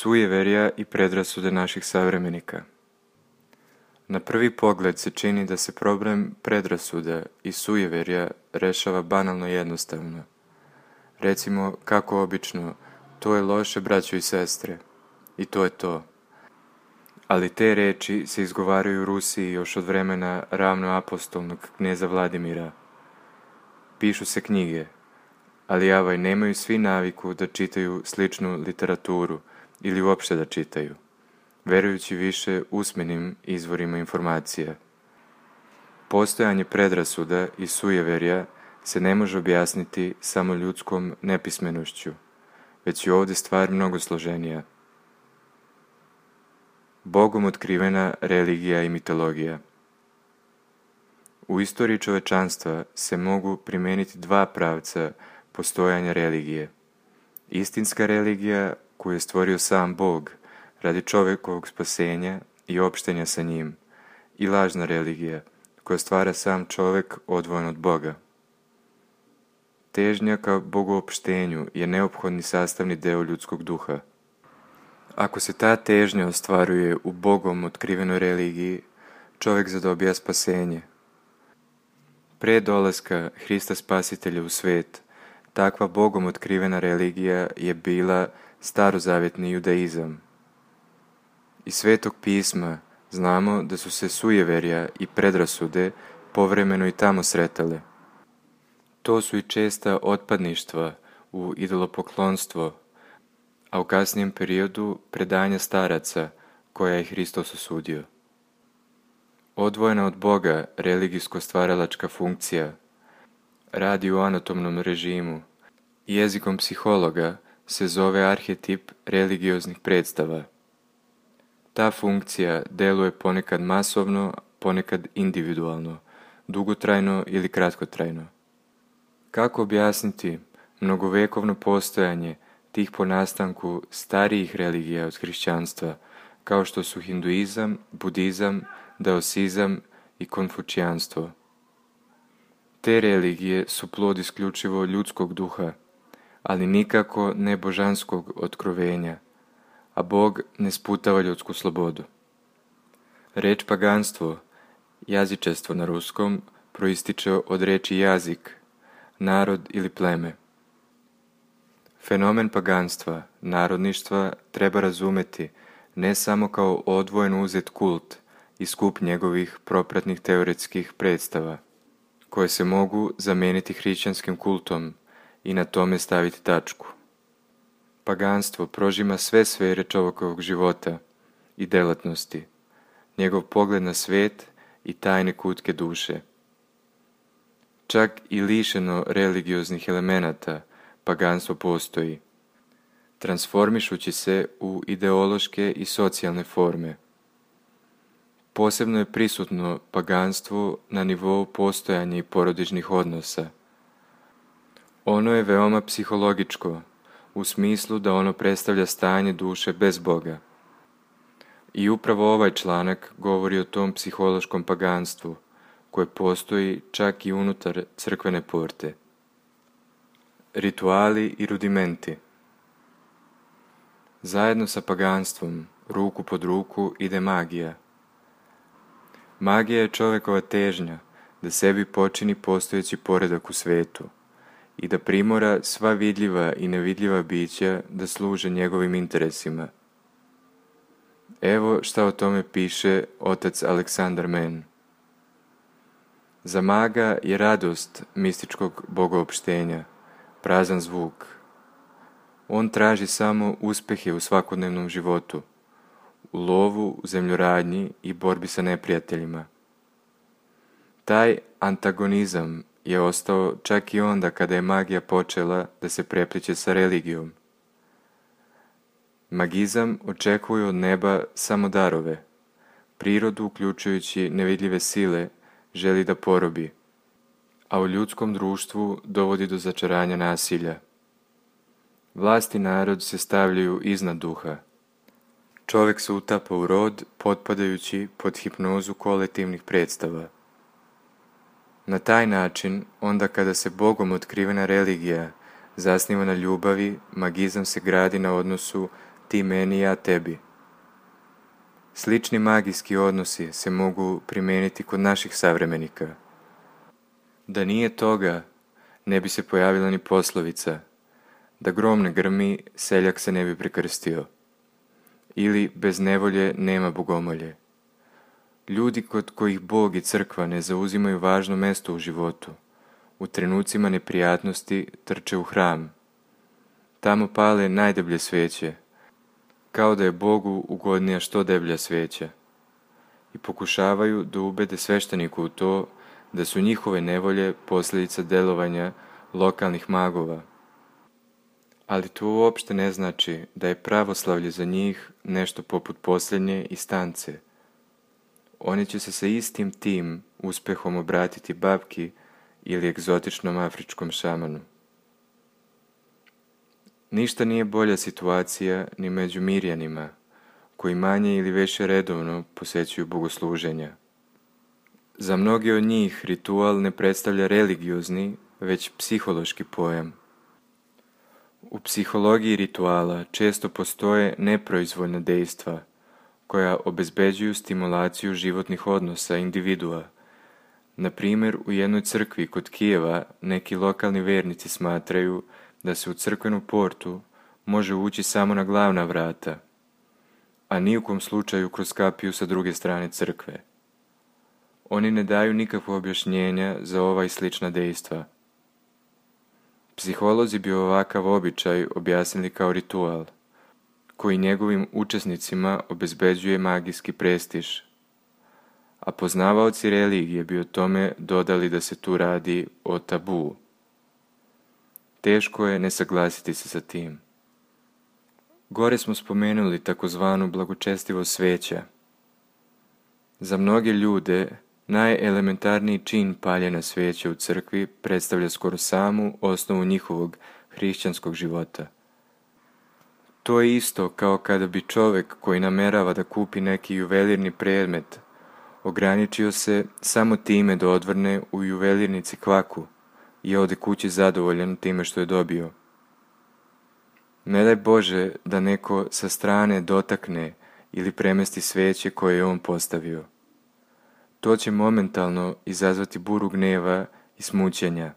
Sujeverja i predrasude naših savremenika. Na prvi pogled se čini da se problem predrasuda i sujeverja rešava banalno jednostavno. Recimo, kako obično, to je loše, braćo i sestre, i to je to. Ali te reči se izgovaraju u Rusiji još od vremena ravnoapostolnog kneza Vladimira. Pišu se knjige, ali nemaju svi naviku da čitaju sličnu literaturu ili uopšte da čitaju, verujući više usmenim izvorima informacija. Postojanje predrasuda i sujeverja se ne može objasniti samo ljudskom nepismenošću, već je ovdje stvar mnogo složenija. Bogom otkrivena religija i mitologija. U istoriji čovečanstva se mogu primeniti dva pravca postojanja religije. Istinska religija koju je stvorio sam Bog radi čovjekovog spasenja i opštenja sa njim, i lažna religija koja stvara sam čovjek odvojen od Boga. Težnja ka bogoopštenju je neophodni sastavni deo ljudskog duha. Ako se ta težnja ostvaruje u Bogom otkrivenoj religiji, čovjek zadobija spasenje. Pre dolaska Hrista Spasitelja u svet, takva Bogom otkrivena religija je bila starozavjetni judaizam. Iz Svetog pisma znamo da su se sujeverja i predrasude povremeno i tamo sretale. To su i česta otpadništva u idolopoklonstvo, a u kasnijem periodu predanja staraca koja je Hristos osudio. Odvojena od Boga religijsko-stvaralačka funkcija radi u anatomnom režimu i jezikom psihologa se zove arhetip religioznih predstava. Ta funkcija deluje ponekad masovno, ponekad individualno, dugotrajno ili kratkotrajno. Kako objasniti mnogovekovno postojanje tih po nastanku starijih religija od hrišćanstva, kao što su hinduizam, budizam, daosizam i konfučijanstvo? Te religije su plod isključivo ljudskog duha, ali nikako ne božanskog otkrovenja, a Bog ne sputava ljudsku slobodu. Reč paganstvo, jazičestvo na ruskom, proističe od reči jazik, narod ili pleme. Fenomen paganstva, narodništva, treba razumeti ne samo kao odvojen uzet kult i skup njegovih propratnih teoretskih predstava, koje se mogu zameniti hrišćanskim kultom i na tome staviti tačku. Paganstvo prožima sve sfere čovjekovog života i delatnosti, njegov pogled na svet i tajne kutke duše. Čak i lišeno religioznih elemenata, paganstvo postoji, transformišući se u ideološke i socijalne forme. Posebno je prisutno paganstvo na nivou postojanja i porodičnih odnosa. Ono je veoma psihologičko, u smislu da ono predstavlja stanje duše bez Boga. I upravo ovaj članak govori o tom psihološkom paganstvu, koje postoji čak i unutar crkvene porte. Rituali i rudimenti. Zajedno sa paganstvom, ruku pod ruku, ide magija. Magija je čovjekova težnja da sebi počini postojeći poredak u svetu i da primora sva vidljiva i nevidljiva bića da služe njegovim interesima. Evo šta o tome piše otac Aleksandar Men. Za maga je radost mističkog bogoopštenja prazan zvuk. On traži samo uspehe u svakodnevnom životu, u lovu, u zemljoradnji i borbi sa neprijateljima. Taj antagonizam je ostao čak i onda kada je magija počela da se prepliće sa religijom. Magizam očekuje od neba samo darove, prirodu uključujući nevidljive sile želi da porobi, a u ljudskom društvu dovodi do začaranja nasilja. Vlast i narod se stavljaju iznad duha. Čovjek se utapa u rod, potpadajući pod hipnozu kolektivnih predstava. Na taj način, onda kada se Bogom otkrivena religija zasniva na ljubavi, magizam se gradi na odnosu ti meni, ja tebi. Slični magijski odnosi se mogu primijeniti kod naših savremenika. Da nije toga, ne bi se pojavila ni poslovica da grom ne grmi, seljak se ne bi prekrstio. Ili bez nevolje nema bogomolje. Ljudi kod kojih Bog i crkva ne zauzimaju važno mjesto u životu, u trenucima neprijatnosti trče u hram. Tamo pale najdeblje sveće, kao da je Bogu ugodnija što deblja sveća, i pokušavaju da ubede svešteniku u to da su njihove nevolje posljedica delovanja lokalnih magova. Ali to uopšte ne znači da je pravoslavlje za njih nešto poput posljednje instance. Oni će se sa istim tim uspehom obratiti babki ili egzotičnom afričkom šamanu. Ništa nije bolja situacija ni među Mirjanima, koji manje ili više redovno posjećuju bogosluženja. Za mnoge od njih ritual ne predstavlja religiozni, već psihološki pojam. U psihologiji rituala često postoje neproizvoljna dejstva, koja obezbeđuju stimulaciju životnih odnosa individua. Na primjer, u jednoj crkvi kod Kijeva neki lokalni vernici smatraju da se u crkvenu portu može ući samo na glavna vrata, a ni u kom slučaju kroz kapiju sa druge strane crkve. Oni ne daju nikakvo objašnjenja za ova i slična dejstva. Psiholozi bi ovakav običaj objasnili kao ritual, koji njegovim učesnicima obezbeđuje magijski prestiž, a poznavaoci religije bi o tome dodali da se tu radi o tabu. Teško je ne saglasiti se sa tim. Gore smo spomenuli takozvanu blagočestivost sveća. Za mnoge ljude najelementarniji čin paljenja svijeća u crkvi predstavlja skoro samu osnovu njihovog hrišćanskog života. To je isto kao kada bi čovjek koji namerava da kupi neki juvelirni predmet ograničio se samo time da odvrne u juvelirnici kvaku i ode kući zadovoljan time što je dobio. Ne daj Bože da neko sa strane dotakne ili premesti svijeće koje je on postavio. To će momentalno izazvati buru gneva i smućenja.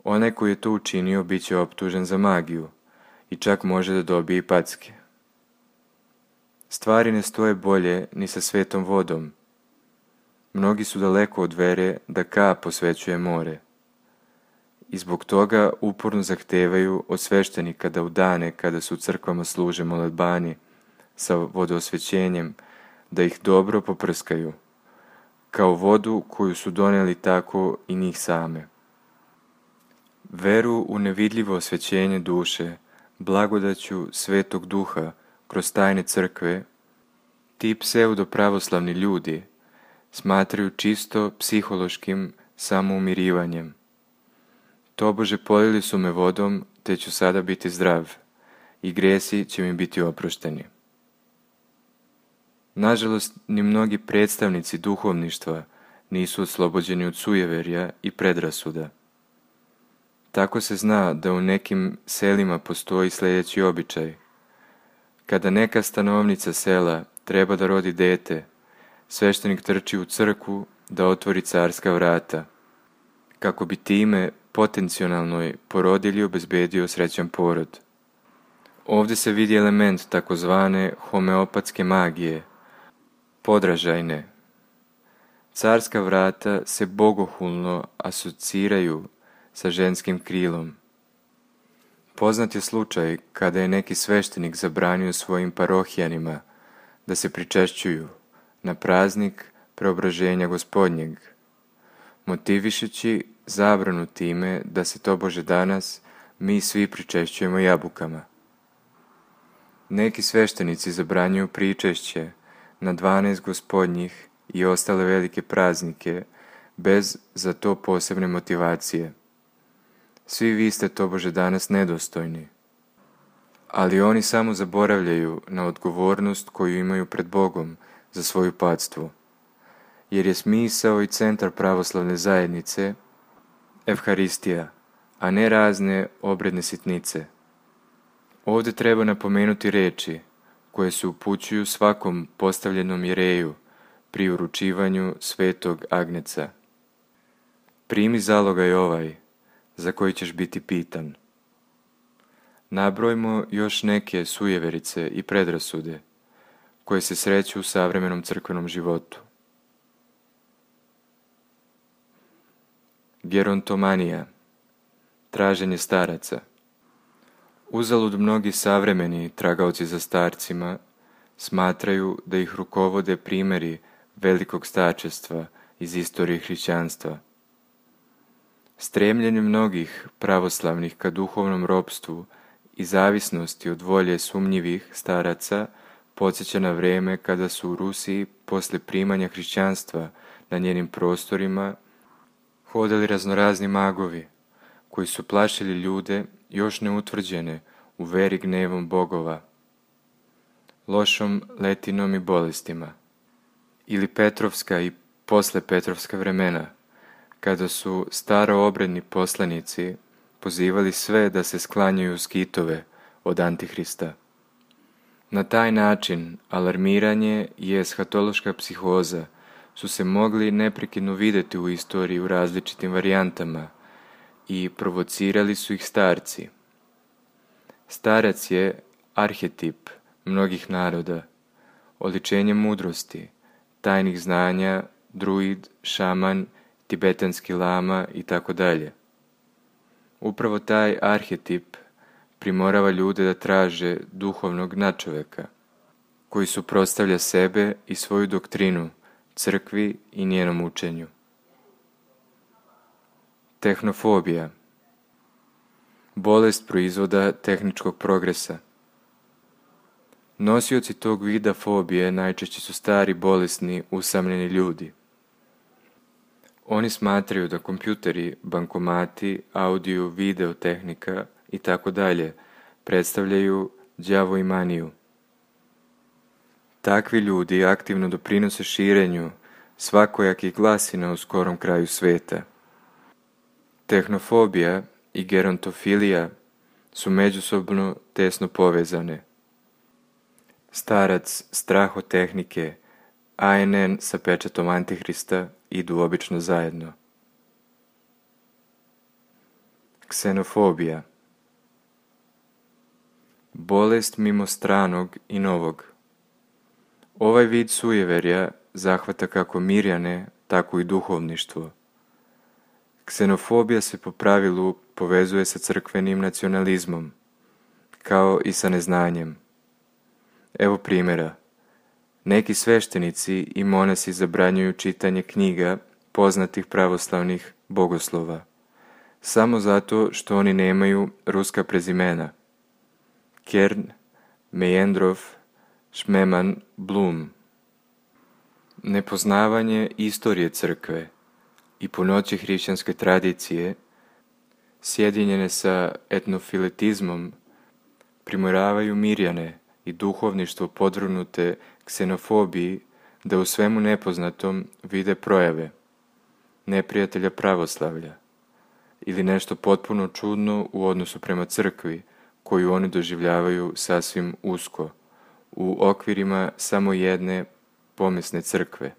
Onaj koji je to učinio bit će optužen za magiju i čak može da dobije i packe. Stvari ne stoje bolje ni sa svetom vodom. Mnogi su daleko od vere da kap posvećuje more. I zbog toga uporno zahtevaju od sveštenika da u dane kada su u crkvama služe molitbani sa vodoosvećenjem, da ih dobro poprskaju, kao vodu koju su donijeli tako i njih same. Veru u nevidljivo osvećenje duše, blagodaću Svetog Duha kroz tajne crkve, ti pseudo-pravoslavni ljudi smatraju čisto psihološkim samoumirivanjem. Tobože polili su me vodom, te ću sada biti zdrav i grijesi će mi biti oprošteni. Nažalost, ni mnogi predstavnici duhovništva nisu oslobođeni od sujeverja i predrasuda. Tako se zna da u nekim selima postoji sljedeći običaj. Kada neka stanovnica sela treba da rodi dete, sveštenik trči u crkvu da otvori carska vrata, kako bi time potencionalnoj porodilji obezbedio srećan porod. Ovdje se vidi element takozvane homeopatske magije, podražajne. Carska vrata se bogohulno asociraju sa ženskim krilom. Poznat je slučaj kada je neki sveštenik zabranio svojim parohijanima da se pričešćuju na praznik preobraženja Gospodnjeg, motivišući zabranu time da se tobože danas mi svi pričešćujemo jabukama. Neki sveštenici zabranjuju pričešće na 12 Gospodnjih i ostale velike praznike bez za to posebne motivacije. Svi vi ste tobože danas nedostojni. Ali oni samo zaboravljaju na odgovornost koju imaju pred Bogom za svoju pactvu, jer je smisao i centar pravoslavne zajednice Evharistija, a ne razne obredne sitnice. Ovdje treba napomenuti riječi koje se upućuju svakom postavljenom jereju pri uručivanju svetog agnjeca. Primi zalogaj ovaj, za koji ćeš biti pitan. Nabrojmo još neke sujeverice i predrasude koje se sreću u savremenom crkvenom životu. Gerontomanija, traženje staraca. Uzalud mnogi savremeni tragaoci za starcima smatraju da ih rukovode primjeri velikog starčestva iz istorije hrišćanstva. Stremljenje mnogih pravoslavnih ka duhovnom ropstvu i zavisnosti od volje sumnjivih staraca podsjeća na vrijeme kada su u Rusiji poslije primanja hrišćanstva na njenim prostorima hodali raznorazni magovi koji su plašili ljude još neutvrđene u veri gnevom bogova, lošom letinom i bolestima. Ili Petrovska i posle Petrovska vremena, kada su staroobredni poslanici pozivali sve da se sklanjaju skitove od Antihrista. Na taj način alarmiranje i eshatološka psihoza su se mogli neprekidno vidjeti u istoriji u različitim varijantama i provocirali su ih starci. Starac je arhetip mnogih naroda, oličenje mudrosti, tajnih znanja, druid, šaman, tibetanski lama itd. Upravo taj arhetip primorava ljude da traže duhovnog nadčoveka, koji suprotstavlja sebe i svoju doktrinu crkvi i njenom učenju. Tehnofobija, bolest proizvoda tehničkog progresa. Nosioci tog vida fobije najčešće su stari, bolesni, usamljeni ljudi. Oni smatraju da kompjuteri, bankomati, audio, video tehnika i tako dalje predstavljaju đavo i maniju. Takvi ljudi aktivno doprinose širenju svakojakih glasina u skorom kraju sveta. Tehnofobija i gerontofilija su međusobno tesno povezane. Starac, strah od tehnike, ANN sa pečatom Antihrista idu obično zajedno. Ksenofobija, bolest mimo stranog i novog. Ovaj vid sujeverja zahvata kako Mirjane, tako i duhovništvo. Ksenofobija se po pravilu povezuje sa crkvenim nacionalizmom, kao i sa neznanjem. Evo primjera. Neki sveštenici i monasi zabranjuju čitanje knjiga poznatih pravoslavnih bogoslova, samo zato što oni nemaju ruska prezimena. Kern, Mejendrov, Šmeman, Blum. Nepoznavanje istorije crkve i punoće hrišćanske tradicije, sjedinjene sa etnofiletizmom, primoravaju Mirjane i duhovništvo podvrgnute ksenofobiji da u svemu nepoznatom vide projave neprijatelja pravoslavlja ili nešto potpuno čudno u odnosu prema crkvi koju oni doživljavaju sasvim usko, u okvirima samo jedne pomesne crkve,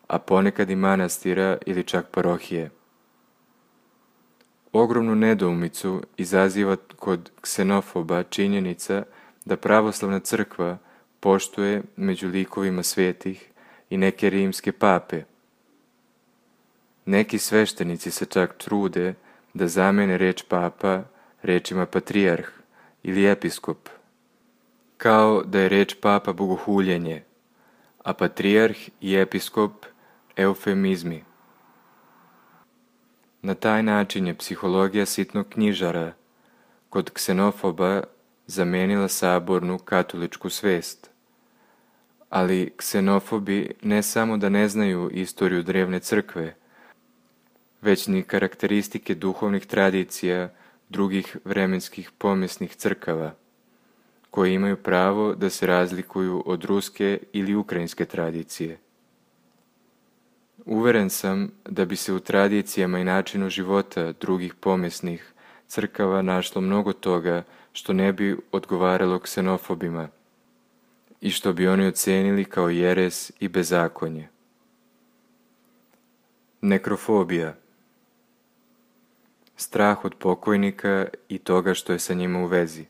a ponekad i manastira ili čak parohije. Ogromnu nedoumicu izaziva kod ksenofoba činjenica da pravoslavna crkva poštuje među likovima svetih i neke rimske pape. Neki sveštenici se čak trude da zamene reč papa rečima patrijarh ili episkop, kao da je reč papa bogohuljenje, a patrijarh i episkop eufemizmi. Na taj način je psihologija sitnog knjižara kod ksenofoba zamenila sabornu katoličku svest. Ali ksenofobi ne samo da ne znaju istoriju drevne crkve, već ni karakteristike duhovnih tradicija drugih vremenskih pomesnih crkava, koje imaju pravo da se razlikuju od ruske ili ukrajinske tradicije. Uveren sam da bi se u tradicijama i načinu života drugih pomesnih crkava našlo mnogo toga što ne bi odgovaralo ksenofobima i što bi oni ocenili kao jeres i bezakonje. Nekrofobija. Strah od pokojnika i toga što je sa njima u vezi.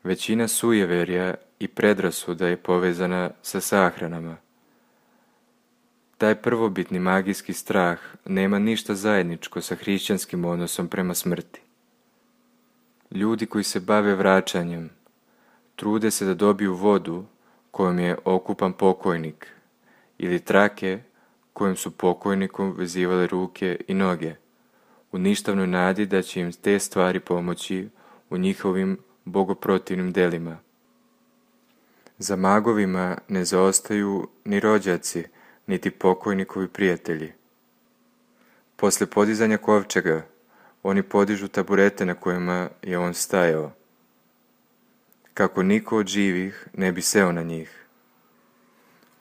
Većina sujeverja i predrasuda je povezana sa sahranama. Taj prvobitni magijski strah nema ništa zajedničko sa hrišćanskim odnosom prema smrti. Ljudi koji se bave vraćanjem trude se da dobiju vodu kojom je okupan pokojnik ili trake kojim su pokojnikom vezivale ruke i noge, u ništavnoj nadi da će im te stvari pomoći u njihovim bogoprotivnim delima. Za magovima ne zaostaju ni rođaci, niti pokojnikovi prijatelji. Posle podizanja kovčega, oni podižu taburete na kojima je on stajao, kako niko od živih ne bi seo na njih.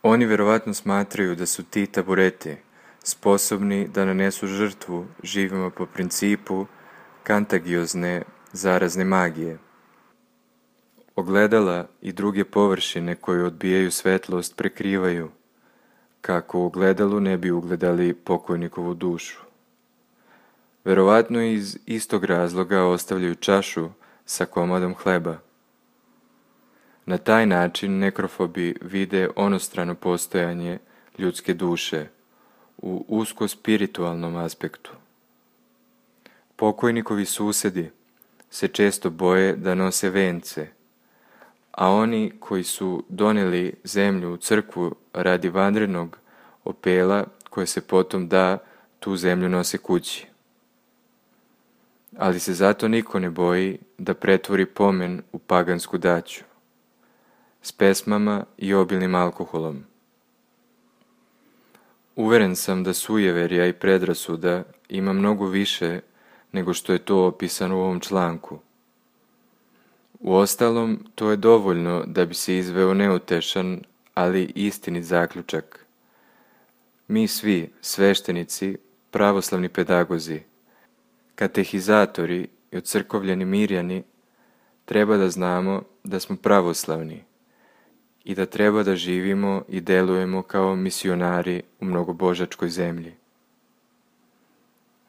Oni verovatno smatraju da su ti tabureti sposobni da nanesu žrtvu živima po principu kantagiozne zarazne magije. Ogledala i druge površine koje odbijaju svetlost prekrivaju, kako u ogledalu ne bi ugledali pokojnikovu dušu. Verovatno iz istog razloga ostavljaju čašu sa komadom hleba. Na taj način nekrofobi vide onostrano postojanje ljudske duše u usko spiritualnom aspektu. Pokojnikovi susedi se često boje da nose vence, a oni koji su doneli zemlju u crkvu radi vanrednog opela koje se potom da, tu zemlju nose kući. Ali se zato niko ne boji da pretvori pomen u pagansku daću, s pesmama i obilnim alkoholom. Uveren sam da sujeverja i predrasuda ima mnogo više nego što je to opisano u ovom članku. Uostalom, to je dovoljno da bi se izveo neutešan, ali istinit zaključak. Mi svi, sveštenici, pravoslavni pedagozi, katehizatori i ocrkovljeni mirjani, treba da znamo da smo pravoslavni i da treba da živimo i delujemo kao misionari u mnogobožačkoj zemlji.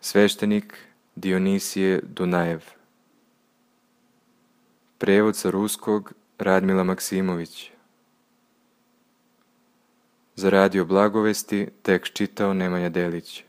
Sveštenik Dionisije Dunajev. Prevod sa ruskog Radmila Maksimović. Za Radio Blagovesti tekst čitao Nemanja Delić.